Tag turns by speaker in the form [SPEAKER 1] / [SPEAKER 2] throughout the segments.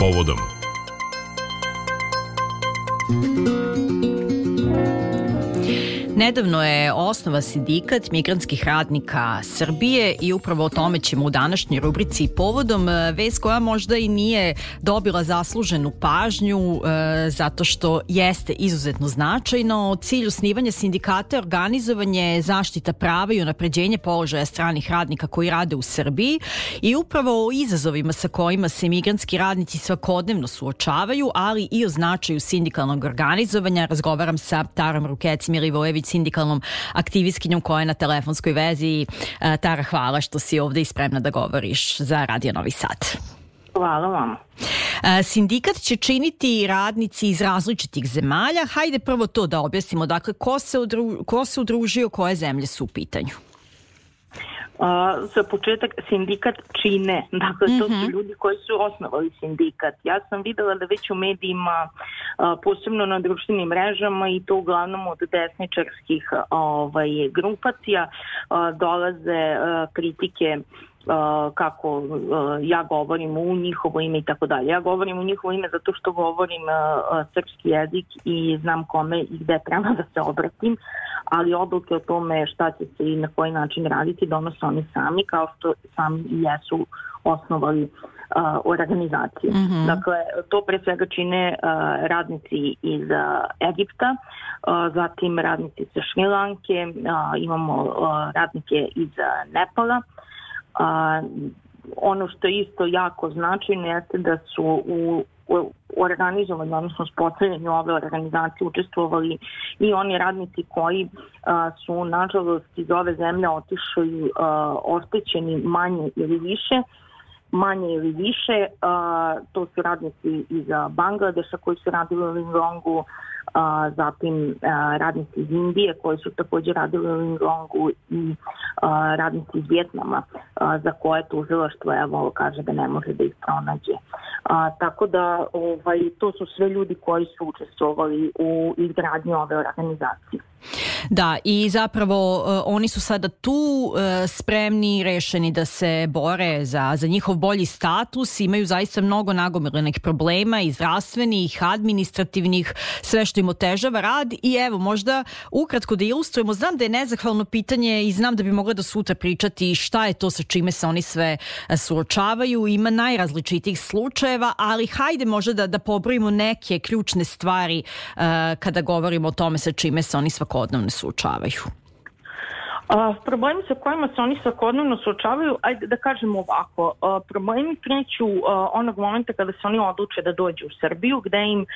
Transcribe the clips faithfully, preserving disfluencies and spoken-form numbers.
[SPEAKER 1] povodom.
[SPEAKER 2] Nedavno je osnovan sindikat migrantskih radnika Srbije i upravo o tome ćemo u današnjoj rubrici povodom, vest koja možda i nije dobila zasluženu pažnju e, zato što jeste izuzetno značajno. Cilj osnivanja sindikata je organizovanje, zaštita prava i unapređenje položaja stranih radnika koji rade u Srbiji i upravo o izazovima sa kojima se migrantski radnici svakodnevno suočavaju, ali i o značaju sindikalnog organizovanja. Razgovaram sa Tarom Rukeci-Milivojević, sindikalnom aktivistkinjom koja je na telefonskoj vezi. Tara, hvala što si ovde i spremna da govoriš za Radio Novi Sad.
[SPEAKER 3] Hvala vam.
[SPEAKER 2] Sindikat će činiti radnici iz različitih zemalja. Hajde prvo to da objasnimo. Dakle, ko se, udru, ko se udružio, koje zemlje su u pitanju?
[SPEAKER 3] Uh, za početak sindikat čine, dakle to su ljudi koji su osnovali sindikat. Ja sam videla da već u medijima, uh, posebno na društvenim mrežama i to uglavnom od desničarskih ovaj, grupacija, uh, dolaze uh, kritike Uh, kako uh, ja govorim u njihovo ime i tako dalje. Ja govorim u njihovo ime zato što govorim uh, srpski jezik i znam kome i gde treba da se obratim, ali odluke o tome šta će se i na koji način raditi donose oni sami, kao što sami i jesu osnovali uh, organizaciju. Mm-hmm. Dakle, to pre svega čine uh, radnici iz uh, Egipta, uh, zatim radnici sa Šrilanke, uh, imamo uh, radnike iz uh, Nepala. A, ono što je isto jako značajno jeste da su u, u organizovanju, odnosno uspostavljanju ove organizacije učestvovali i oni radnici koji a, su nažalost iz ove zemlje otišli a, oštećeni manje ili više manje ili više, a, to su radnici iz Bangladeša koji su radili u Lingongu, a, zatim a, radnici iz Indije koji su također radili u Lingongu i a, radnici iz Vjetnama a, za koje tužilaštvo evo kaže da ne može da ih pronađe. A, tako da ovaj, to su sve ljudi koji su učestvovali u izgradnji ove organizacije.
[SPEAKER 2] Da, i zapravo uh, oni su sada tu uh, spremni, rešeni da se bore za, za njihov bolji status, imaju zaista mnogo nagomilenih problema i zdravstvenih, administrativnih, sve što im otežava rad i evo možda ukratko da ilustrujemo, znam da je nezahvalno pitanje i znam da bi mogla da sutra pričati šta je to sa čime se oni sve suočavaju, ima najrazličitijih slučajeva, ali hajde možda da, da pobrojimo neke ključne stvari uh, kada govorimo o tome sa čime se oni svakodnevno suočavaju.
[SPEAKER 3] Uh, problemi sa kojima se oni svakodnevno suočavaju, ajde da kažemo ovako, uh, problemi kreću uh, onog momenta kada se oni odluče da dođu u Srbiju, gde im uh,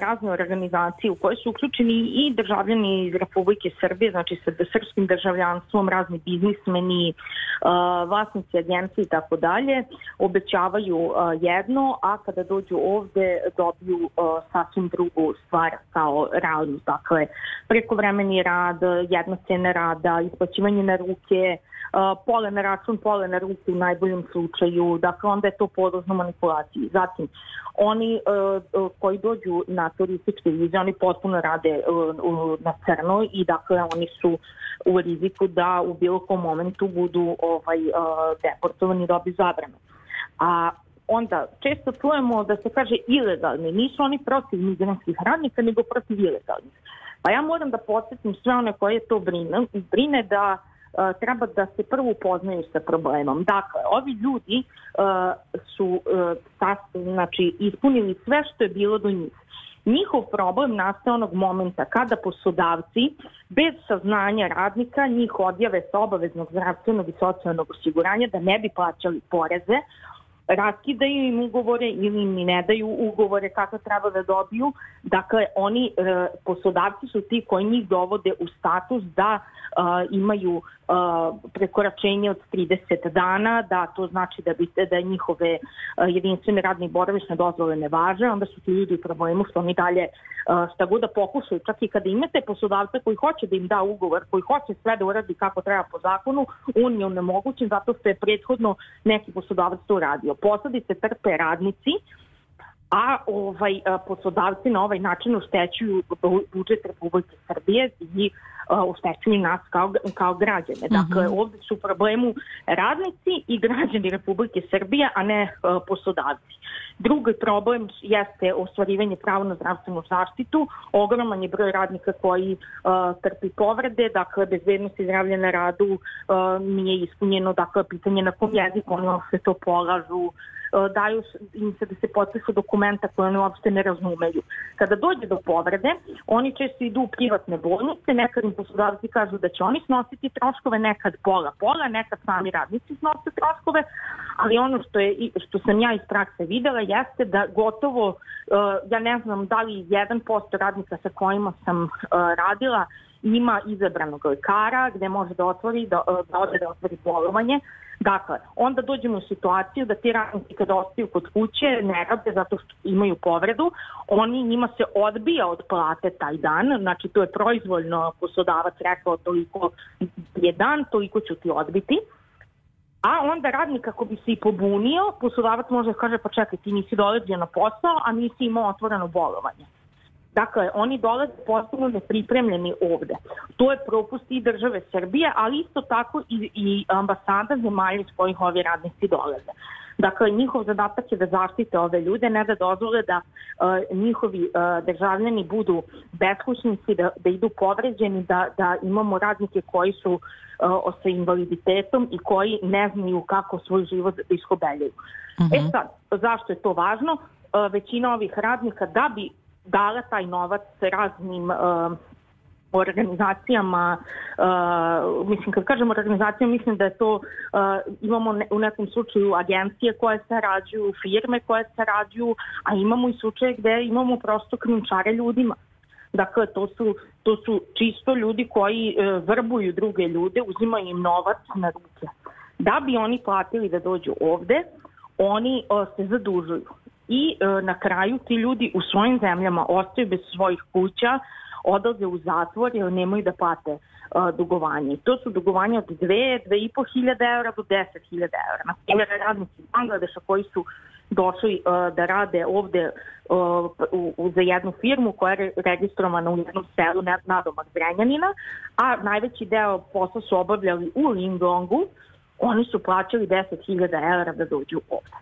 [SPEAKER 3] razne organizacije u koje su uključeni i državljani iz Republike Srbije, znači sa srpskim državljanstvom, razni biznismeni, uh, vlasnici agencije i tako dalje, obećavaju uh, jedno, a kada dođu ovde dobiju uh, sasvim drugu stvar kao realnost, dakle prekovremeni rad, jedna cena rada, isplaćivanje na ruke, uh, pola na račun, pola na ruke u najboljem slučaju, dakle onda je to podložno manipulaciji. Zatim, oni uh, koji dođu na turističke vize, oni potpuno rade uh, uh, na crno i dakle oni su u riziku da u bilo kom momentu budu ovaj, uh, deportovani, dobiju zabranu. A onda često čujemo da se kaže ilegalni, nisu oni protiv migrantskih radnika, nego protiv ilegalnih. Pa ja moram da podsjetim sve one koje to brine, brine da uh, treba da se prvo upoznaju sa problemom. Dakle, ovi ljudi uh, su uh, tas, znači, ispunili sve što je bilo do njih. Njihov problem nastaje onog momenta kada poslodavci bez saznanja radnika njih odjave sa obaveznog zdravstvenog i socijalnog osiguranja da ne bi plaćali poreze, raskidaju im ugovore ili im ne daju ugovore kako treba da dobiju. Dakle, oni, e, poslodavci su ti koji njih dovode u status da e, imaju e, prekoračenje od trideset dana, da to znači da, bi, da njihove e, jedinstvene radne i boravišne dozvole ne važe, onda su ti ljudi u problemu što oni dalje e, šta god da pokušaju. Čak i kada imate poslodavca koji hoće da im da ugovor, koji hoće sve da uradi kako treba po zakonu, on je onemogućen zato što je prethodno neki poslodavac to uradio. Posledice trpe radnici, a ovaj, poslodavci na ovaj način oštećuju budžet Republike Srbije i oštećuju nas kao, kao građane. Dakle, uh-huh. ovdje su u problemu radnici i građani Republike Srbije, a ne uh, poslodavci. Drugi problem jeste ostvarivanje prava na zdravstvenu zaštitu. Ogroman je broj radnika koji uh, trpi povrede, dakle, bezbednost i zdravlje na radu uh, nije ispunjeno, dakle, pitanje na kom jeziku oni se to polažu, daju im se da se potpišu dokumenta koje oni uopšte ne razumeju. Kada dođe do povrede, oni često idu u privatne bolnice, nekad im poslodavci kažu da će oni snositi troškove, nekad pola pola, nekad sami radnici snose troškove, ali ono što, je, što sam ja iz prakse videla jeste da gotovo, ja ne znam da li jedan posto radnika sa kojima sam radila ima izabranog lekara gde može da otvori, da, da ode da otvori bolovanje. Dakle, onda dođemo u situaciju da ti radnici kada ostaju kod kuće ne rade zato što imaju povredu, oni njima se odbija od plate taj dan, znači to je proizvoljno poslodavac rekao toliko je dan, toliko ću ti odbiti. A onda radnik ako bi se i pobunio, poslodavac može da kaže pa čekaj ti nisi dolazio na posao, a nisi imao otvoreno bolovanje. Dakle, oni dolaze potpuno nepripremljeni ovde. To je propust i države Srbije, ali isto tako i, i ambasada zemalja iz kojih ovi radnici dolaze. Dakle, njihov zadatak je da zaštite ove ljude, ne da dozvole da uh, njihovi uh, državljani budu beskućnici, da, da idu povređeni, da, da imamo radnike koji su uh, sa invaliditetom i koji ne znaju kako svoj život da iskobeljaju. Mm-hmm. E sad, zašto je to važno? Uh, većina ovih radnika da bi dala taj novac raznim uh, organizacijama, uh, mislim kad kažem organizacijama mislim da je to, uh, imamo ne, u nekom slučaju agencije koje sarađuju, firme koje sarađuju, a imamo i slučaje gde imamo prosto krijumčare ljudima. Dakle, to su, to su čisto ljudi koji uh, vrbuju druge ljude, uzimaju im novac na ruke. Da bi oni platili da dođu ovde, oni uh, se zadužuju. I e, na kraju ti ljudi u svojim zemljama ostaju bez svojih kuća, odlaze u zatvor jer nemaju da plate e, dugovanje. To su dugovanja od dve, dve i po hiljade eura do deset hiljada eura. Na primjer, radnici iz Bangladeša koji su došli e, da rade ovde e, u, u, za jednu firmu koja je registrovana u jednom selu nadomak Zrenjanina, a najveći deo posla su obavljali u Lingongu, oni su plaćali deset hiljada eura da dođu ovde.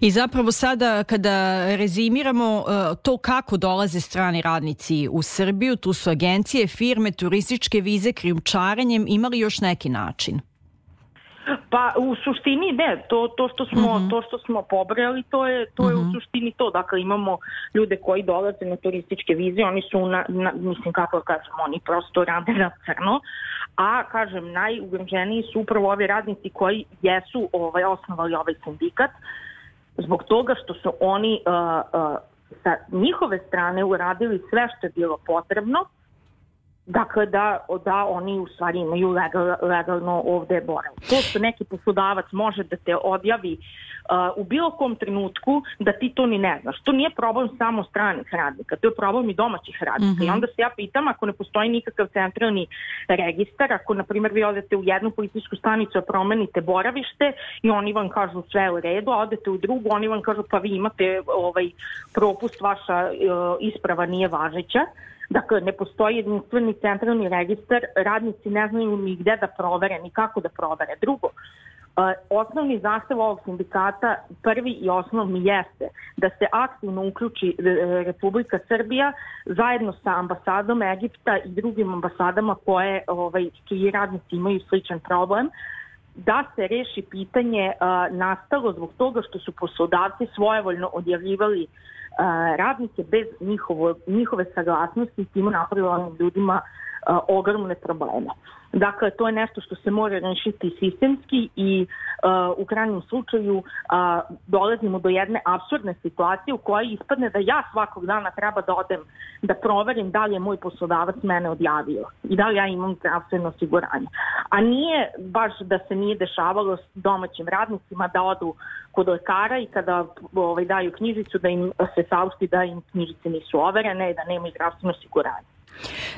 [SPEAKER 2] I zapravo sada kada rezimiramo to kako dolaze strani radnici u Srbiju, tu su agencije, firme, turističke vize, krijumčarenjem, ima li još neki način?
[SPEAKER 3] Pa u suštini ne, to, to, što, smo, uh-huh. to što smo pobrali, to je, to je uh-huh. u suštini to. Dakle, imamo ljude koji dolaze na turističke vize, oni su, na, na, mislim kako kažem, oni prosto rade na crno, a kažem, najugroženiji su upravo ovi radnici koji jesu ovaj, osnovali ovaj sindikat, zbog toga što su oni uh, uh, sa njihove strane uradili sve što je bilo potrebno, dakle da, da oni u stvari imaju legal, legalno ovde boravak. To što neki poslodavac može da te odjavi uh, u bilo kom trenutku da ti to ni ne znaš. To nije problem samo stranih radnika, to je problem i domaćih radnika. Mm-hmm. I onda se ja pitam, ako ne postoji nikakav centralni registar, ako na primjer vi odete u jednu policijsku stanicu a promenite boravište i oni vam kažu sve u redu, a odete u drugu, oni vam kažu pa vi imate ovaj propust, vaša uh, isprava nije važeća. Dakle, ne postoji jedinstveni centralni registar, radnici ne znaju ni gde da provere, ni kako da provere. Drugo, osnovni zahtev ovog sindikata, prvi i osnovni jeste da se aktivno uključi Republika Srbija zajedno sa ambasadom Egipta i drugim ambasadama koje, ovaj, čiji radnici imaju sličan problem, da se reši pitanje uh, nastalo zbog toga što su poslodavci svojevoljno odjavljivali uh, radnike bez njihovo, njihove saglasnosti i tim napravili onim ljudima uh, ogromne probleme. Dakle, to je nešto što se mora rešiti sistemski i uh, u krajnjem slučaju uh, dolazimo do jedne apsurdne situacije u kojoj ispadne da ja svakog dana treba da odem da proverim da li je moj poslodavac mene odjavio i da li ja imam zdravstveno osiguranje. A nije baš da se nije dešavalo s domaćim radnicima da odu kod lekara i kada ovaj, daju knjižicu da im se saopšti da im knjižice nisu overene i da nemaju zdravstveno osiguranje.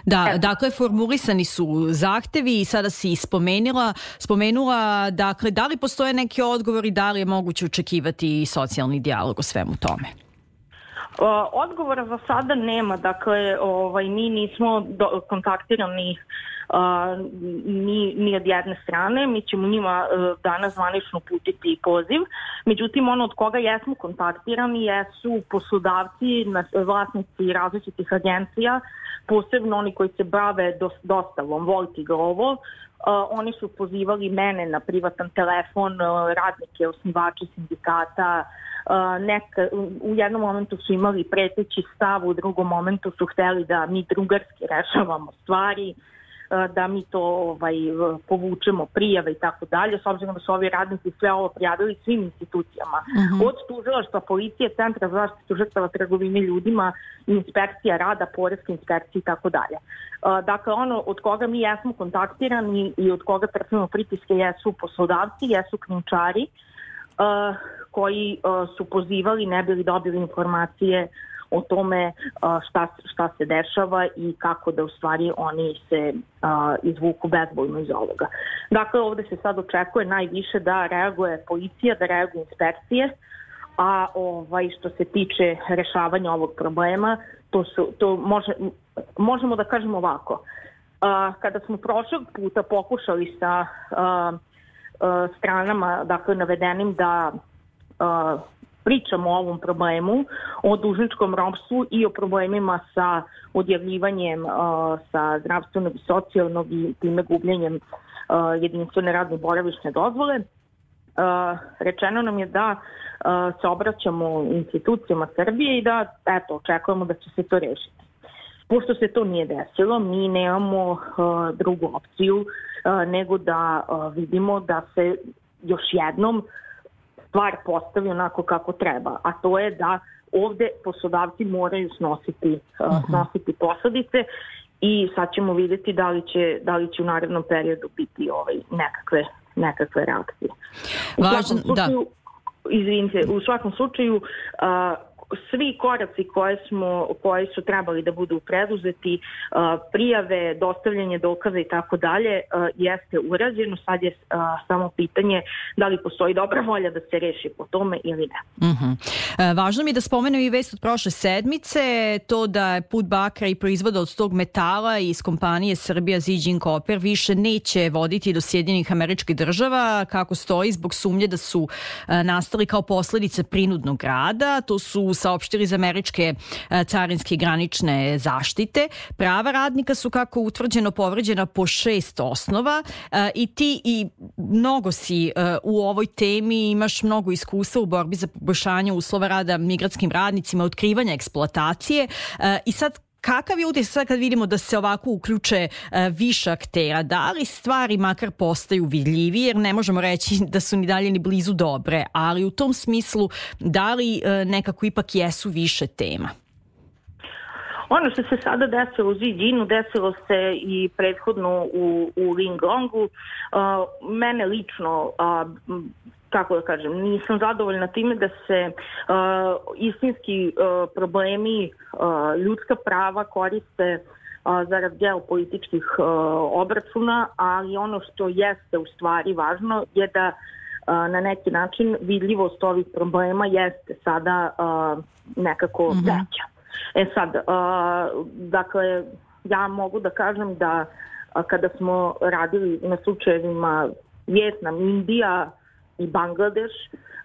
[SPEAKER 2] Da, dakle, formulisani su zahtevi i sada si spomenula, spomenula, dakle, da li postoje neki odgovori, da li je moguće očekivati socijalni dijalog o svemu tome?
[SPEAKER 3] Odgovora za sada nema, dakle ovaj, mi nismo do, kontaktirani uh, ni, ni od jedne strane, mi ćemo njima uh, danas zvanično uputiti poziv, međutim ono od koga jesmo kontaktirani jesu poslodavci, vlasnici različitih agencija, posebno oni koji se bave dostavom Volt i Glovo. Uh, oni su pozivali mene na privatan telefon, uh, radnike, osnivače sindikata. Uh, neka, u jednom momentu su imali preteći stav, u drugom momentu su hteli da mi drugarski rešavamo stvari, uh, da mi to ovaj, povučemo prijave i tako dalje, s obzirom da su ovi radnici sve ovo prijavili svim institucijama. Uh-huh. Od tužilaštva, policije, Centra za zaštitu žrtava trgovine ljudima, inspekcija rada, poreske inspekcije i tako dalje. Dakle, ono od koga mi jesmo kontaktirani i od koga trpimo pritiske jesu poslodavci, jesu krijumčari, Uh, koji uh, su pozivali, ne bili dobili informacije o tome uh, šta, šta se dešava i kako da u stvari oni se uh, izvuku bezbojno iz ovoga. Dakle, ovde se sad očekuje najviše da reaguje policija, da reaguje inspekcije, a ovaj, što se tiče rešavanja ovog problema, to, su, to može, možemo da kažemo ovako. Uh, kada smo prošlog puta pokušali sa uh, stranama, dakle, navedenim da uh, pričamo o ovom problemu, o dužničkom ropstvu i o problemima sa odjavljivanjem uh, sa zdravstvenog i socijalnog i time gubljenjem uh, jedinstvene radne boravišne dozvole. Uh, rečeno nam je da uh, se obraćamo institucijama Srbije i da, eto, očekujemo da će se to rešiti. Pošto se to nije desilo, mi nemamo uh, drugu opciju uh, nego da uh, vidimo da se još jednom stvar postavi onako kako treba, a to je da ovde poslodavci moraju snositi, uh, uh-huh. snositi posledice i sad ćemo vidjeti da li će, da li će u narednom periodu biti ovaj, nekakve, nekakve reakcije. U
[SPEAKER 2] Važan,
[SPEAKER 3] svakom slučaju, da. Izvinite, u svakom slučaju uh, svi koraci koje, smo, koje su trebali da budu preduzeti, prijave, dostavljanje dokaza i tako dalje, jeste urađeno. Sad je samo pitanje da li postoji dobra volja da se reši po tome ili ne.
[SPEAKER 2] Uh-huh. Važno mi je da spomenem i vest od prošle sedmice, to da je put bakra i proizvoda od tog metala iz kompanije Srbija Ziđin Koper više neće voditi do Sjedinjenih Američkih Država, kako stoji, zbog sumnje da su nastali kao posledice prinudnog rada. To su saopštili iz američke carinske granične zaštite. Prava radnika su, kako utvrđeno, povređena po šest osnova i ti i mnogo si u ovoj temi, imaš mnogo iskustva u borbi za poboljšanje uslova rada migratskim radnicima, otkrivanja eksploatacije i sad kakav je utisak sad kad vidimo da se ovako uključe uh, više aktera? Da li stvari makar postaju vidljivije, jer ne možemo reći da su ni dalje ni blizu dobre, ali u tom smislu da li uh, nekako ipak jesu više tema?
[SPEAKER 3] Ono što se sada desilo u Ziđinu, desilo se i prethodno u, u Linglongu. Uh, mene lično, uh, kako da kažem, nisam zadovoljna time da se uh, istinski uh, problemi, uh, ljudska prava koriste uh, zarad geopolitičkih uh, obračuna, ali ono što jeste u stvari važno je da uh, na neki način vidljivost ovih problema jeste sada uh, nekako mm-hmm. veća. E sad, uh, dakle, ja mogu da kažem da uh, kada smo radili na slučajevima Vjetnam, Indija i Bangladeš,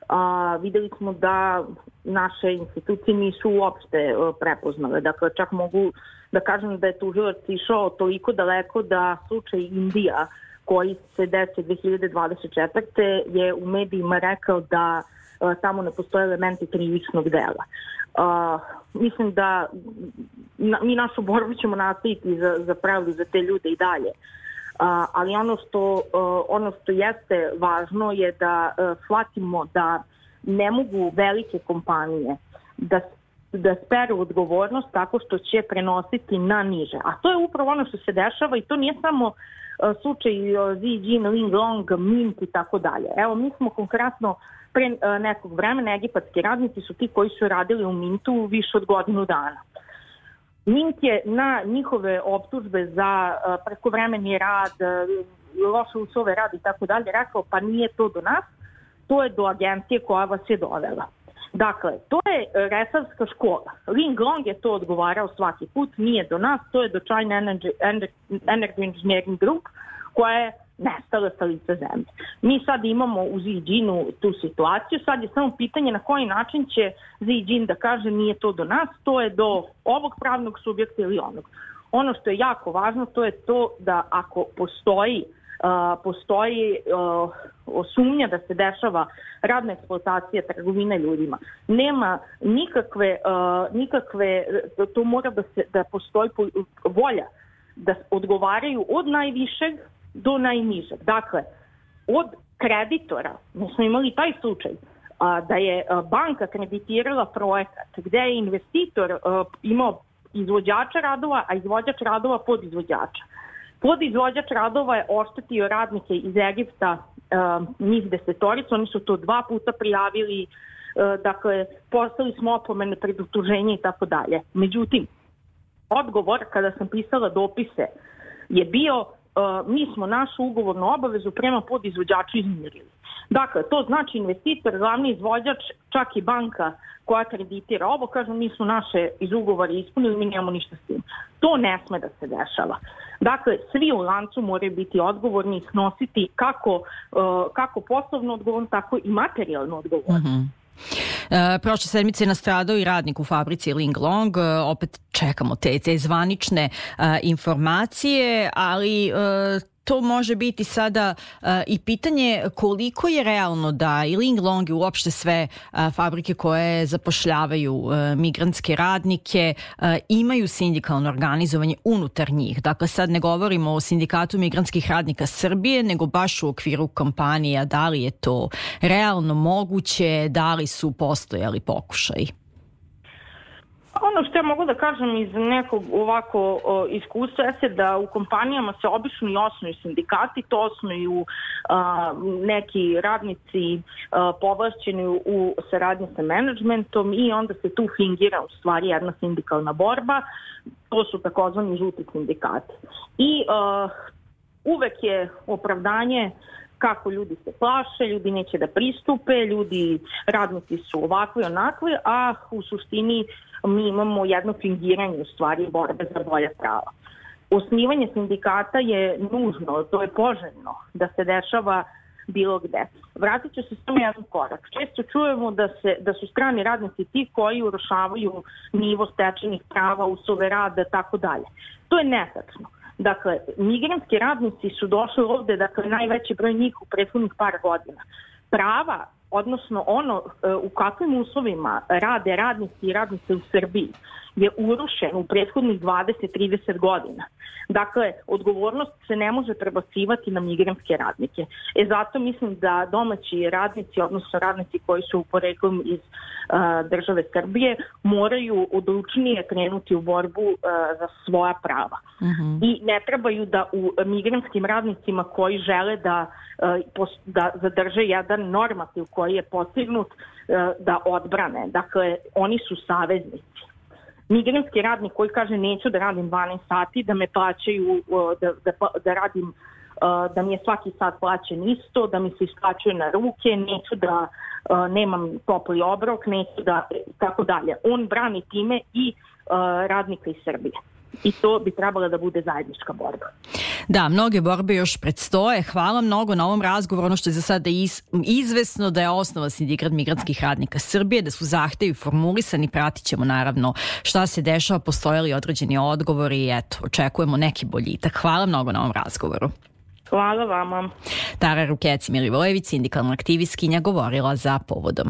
[SPEAKER 3] a, videli smo da naše institucije nisu uopšte a, prepoznale. Dakle, čak mogu da kažem da je tužilac išao toliko daleko da slučaj Indija, koji se desio dve hiljade dvadeset četvrte je u medijima rekao da a, tamo ne postoje elementi krivičnog dela. A, mislim da na, mi našu borbu ćemo nastaviti za, za pravdu za te ljude i dalje. Uh, ali ono što, uh, ono što jeste važno je da uh, shvatimo da ne mogu velike kompanije da, da speru odgovornost tako što će prenositi na niže. A to je upravo ono što se dešava i to nije samo uh, slučaj uh, Ziđin, Linglong, Mint i tako dalje. Evo, mi smo konkretno pre uh, nekog vremena, egipatski radnici su ti koji su radili u Mintu više od godinu dana. Mint je na njihove optužbe za uh, prekovremeni rad, uh, loše uslove rada i tako dalje rekao, pa nije to do nas, to je do agencije koja vas je dovela. Dakle, to je resavska škola. Ling Long je to odgovarao svaki put, nije do nas, to je do China Energy, Energy Engineering Group, koja je nestala sa lica zemlje. Mi sad imamo u Zijinu tu situaciju, sad je samo pitanje na koji način će Zijin da kaže nije to do nas, to je do ovog pravnog subjekta ili onog. Ono što je jako važno, to je to da ako postoji Uh, postoji uh, sumnja da se dešava radna eksploatacija, trgovine ljudima. Nema nikakve, uh, nikakve to mora da, se, da postoji volja da odgovaraju od najvišeg do najnižeg. Dakle, od kreditora, mi smo imali taj slučaj, uh, da je uh, banka kreditirala projekat gde je investitor uh, imao izvođača radova, a izvođač radova podizvođača. Podizvođač radova je oštetio radnike iz Egipta, uh, njih desetoricu, oni su to dva puta prijavili, uh, dakle, poslali smo opomene, predutuženje i tako dalje. Međutim, odgovor kada sam pisala dopise je bio, uh, mi smo našu ugovornu obavezu prema podizvođaču izmirili. Dakle, to znači investitor, glavni izvođač, čak i banka koja kreditira ovo, kažu mi su naše iz ugovora ispunili, mi nemamo ništa s tim. To ne sme da se dešava. Dakle, svi u lancu moraju biti odgovorni i snositi kako, uh, kako poslovno odgovorno, tako i materijalno odgovorno.
[SPEAKER 2] Mm-hmm. E, prošle sedmice je nastradao i radnik u fabrici Ling Long, e, opet čekamo te, te zvanične e, informacije, ali e, to može biti sada uh, i pitanje koliko je realno da i Ling Long i uopšte sve uh, fabrike koje zapošljavaju uh, migrantske radnike uh, imaju sindikalno organizovanje unutar njih. Dakle, sad ne govorimo o Sindikatu migrantskih radnika Srbije, nego baš u okviru kompanija. Da li je to realno moguće, da li su postojali pokušaji?
[SPEAKER 3] Ono što ja mogu da kažem iz nekog ovako o, iskustva je da u kompanijama se obično i osnuju sindikati, to osnuju a, neki radnici a, povlašćeni u, u saradnji sa menadžmentom i onda se tu fingira u stvari jedna sindikalna borba, to su takozvani žuti sindikati. I a, uvek je opravdanje kako ljudi se plaše, ljudi neće da pristupe, ljudi, radnici su ovakvi onakvi, a u suštini mi imamo jedno fingiranje u stvari borbe za bolja prava. Osnivanje sindikata je nužno, to je poželjno da se dešava bilo gde. Vratit ću se samo jedan korak. Često čujemo da, se, da su strani radnici ti koji urušavaju nivo stečenih prava, uslove rada, tako dalje. To je netačno. Dakle, migrantski radnici su došli ovde, dakle, najveći broj njih u prethodnih par godina. Prava, odnosno ono u kakvim uslovima rade radnici i radnice u Srbiji, je urušen u prethodnih dvadeset do trideset godina. Dakle, odgovornost se ne može prebacivati na migrantske radnike. E zato mislim da domaći radnici, odnosno radnici koji su poreklom iz uh, države Srbije, moraju odlučnije krenuti u borbu uh, za svoja prava. Mm-hmm. I ne trebaju da u migrantskim radnicima koji žele da, uh, da zadrže jedan normativ koji je postignut, uh, da odbrane. Dakle, oni su saveznici. Migrantski radnik koji kaže neću da radim dvanaest sati, da me plaćaju, da, da, da radim, da mi je svaki sat plaćen isto, da mi se isplaćuje na ruke, neću da nemam topli obrok, neću da, tako dalje. On brani time i radnika iz Srbije. I to bi trebala da bude zajednička borba.
[SPEAKER 2] Da, mnoge borbe još predstoje. Hvala mnogo na ovom razgovoru. Ono što je za sada iz, izvesno da je osnova Sindikat migrantskih radnika Srbije, da su zahtevi formulisani, pratit ćemo naravno šta se dešava, postoje li određeni odgovori i eto, očekujemo neki boljitak. Hvala mnogo na ovom razgovoru.
[SPEAKER 3] Hvala vama.
[SPEAKER 2] Tara Rukeci Milivojević, sindikalna aktivistkinja, govorila za Povodom.